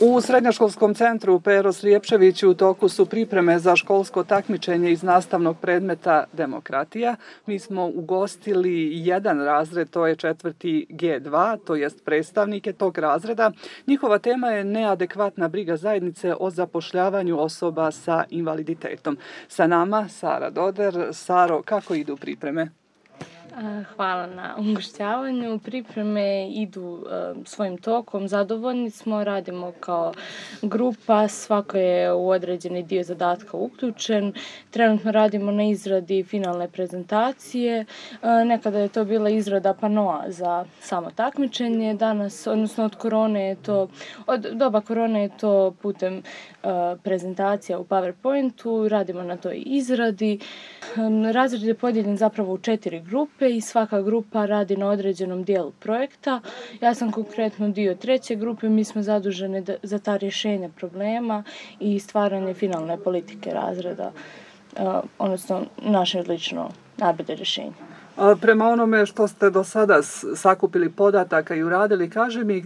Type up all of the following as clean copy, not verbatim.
U Srednjoškolskom centru Pero Slijepčević u toku su pripreme za školsko takmičenje iz nastavnog predmeta demokratija. Mi smo ugostili jedan razred, to je 4. G2, to jest predstavnike tog razreda. Njihova tema je neadekvatna briga zajednice o zapošljavanju osoba sa invaliditetom. Sa nama Sara Doder. Saro, kako idu pripreme? Hvala na ugošćavanju. Pripreme idu svojim tokom, zadovoljni smo, radimo kao grupa, svako je u određeni dio zadatka uključen. Trenutno radimo na izradi finalne prezentacije. Nekada je to bila izrada panoa za samo takmičenje. Danas, odnosno od doba korone je to putem prezentacija u PowerPointu. Radimo na toj izradi. Razred je podijeljen zapravo u 4 grupe i svaka grupa radi na određenom dijelu projekta. Ja sam konkretno dio 3. grupe, mi smo zaduženi za ta rješenja problema i stvaranje finalne politike razreda, odnosno naše lično najbolje rješenje. Prema onome što ste do sada sakupili podataka i uradili, kaži mi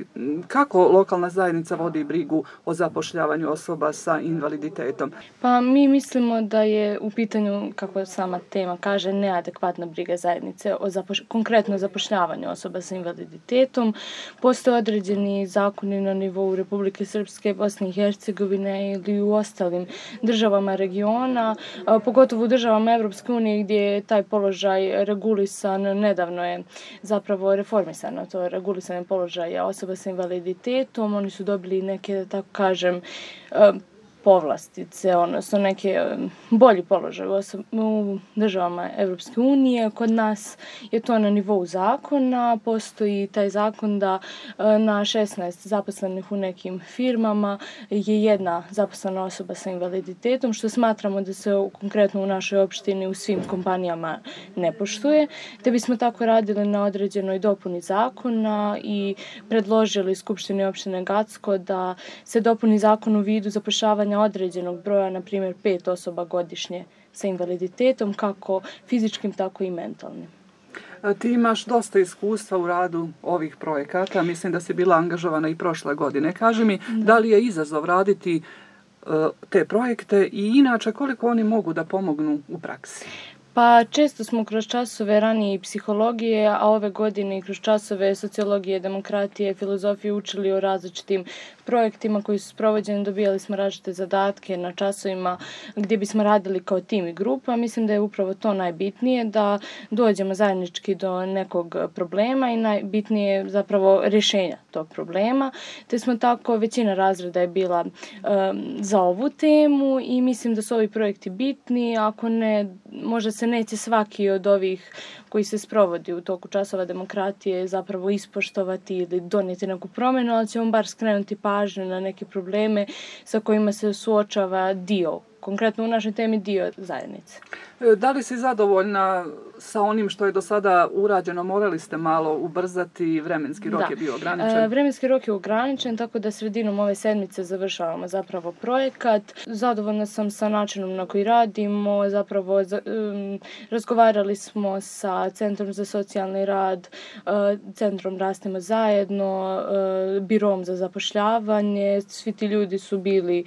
kako lokalna zajednica vodi brigu o zapošljavanju osoba sa invaliditetom? Pa mi mislimo da je u pitanju, kako sama tema kaže, neadekvatna briga zajednice o konkretno zapošljavanju osoba sa invaliditetom. Postoje određeni zakoni na nivou Republike Srpske, Bosne i Hercegovine ili u ostalim državama regiona, pogotovo u državama Evropske unije gdje je taj položaj regulisan. Nedavno je zapravo reformisano to regulisanje položaja osoba sa invaliditetom. Oni su dobili neke, da tako kažem, povlastice, odnosno neke bolji položaj u državama Evropske unije. Kod nas je to na nivou zakona. Postoji taj zakon da na 16 zaposlenih u nekim firmama je jedna zaposlena osoba sa invaliditetom, što smatramo da se konkretno u našoj opštini u svim kompanijama ne poštuje. Te bismo tako radili na određenoj dopuni zakona i predložili Skupštini opštine Gacko da se dopuni zakon u vidu zapošljavanja određenog broja, na primjer 5 osoba godišnje sa invaliditetom, kako fizičkim, tako i mentalnim. Ti imaš dosta iskustva u radu ovih projekata, mislim da si bila angažovana i prošle godine. Kaži mi, da li je izazov raditi te projekte i inače koliko oni mogu da pomognu u praksi? Pa često smo kroz časove ranije i psihologije, a ove godine i kroz časove sociologije, demokratije, filozofije učili o različitim projektima koji su sprovođeni. Dobijali smo različite zadatke na časovima gdje bismo radili kao tim i grupa. Mislim da je upravo to najbitnije, da dođemo zajednički do nekog problema i najbitnije zapravo rješenja tog problema. Te smo tako, većina razreda je bila za ovu temu i mislim da su ovi projekti bitni. Ako ne, možda se neće svaki od ovih koji se sprovodi u toku časova demokratije zapravo ispoštovati ili donijeti neku promjenu, ali ćemo bar skrenuti pažnju na neke probleme sa kojima se suočava dio, konkretno u našoj temi dio zajednice. Da li si zadovoljna sa onim što je do sada urađeno? Morali ste malo ubrzati, vremenski rok je bio ograničen? Vremenski rok je ograničen, tako da sredinom ove sedmice završavamo zapravo projekat. Zadovoljna sam sa načinom na koji radimo, zapravo razgovarali smo sa Centrom za socijalni rad, Centrom Rastemo zajedno, Birom za zapošljavanje. Svi ti ljudi su bili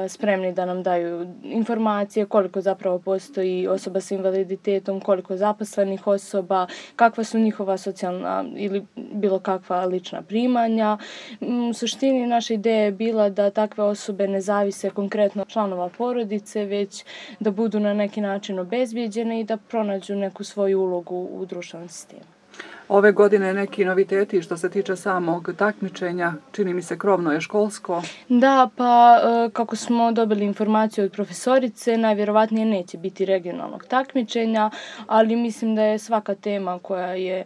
spremni da nam daju informacije koliko zapravo postoji osoba sa invaliditetom, koliko zaposlenih osoba, kakva su njihova socijalna ili bilo kakva lična primanja. U suštini naša ideja je bila da takve osobe ne zavise konkretno članova porodice, već da budu na neki način obezbijeđene i da pronađu neku svoju ulogu u društvenom sistemu. Ove godine neki noviteti što se tiče samog takmičenja, čini mi se krovno je školsko. Da, pa kako smo dobili informaciju od profesorice, najvjerovatnije neće biti regionalnog takmičenja, ali mislim da je svaka tema koja je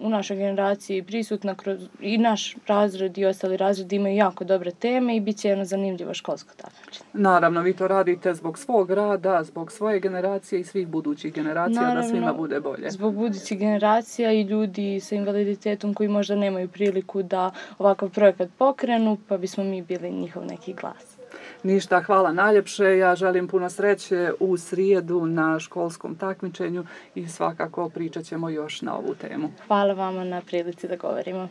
u našoj generaciji prisutna i naš razred i ostali razredi imaju jako dobre teme i bit će jedno zanimljivo školsko takmičenje. Naravno, vi to radite zbog svog rada, zbog svoje generacije i svih budućih generacija. Naravno, da svima bude bolje. Zbog budućih generacija i ljudi sa invaliditetom koji možda nemaju priliku da ovakav projekat pokrenu, pa bismo mi bili njihov neki glas. Ništa, hvala najljepše. Ja želim puno sreće u srijedu na školskom takmičenju i svakako pričat ćemo još na ovu temu. Hvala vama na prilici da govorimo.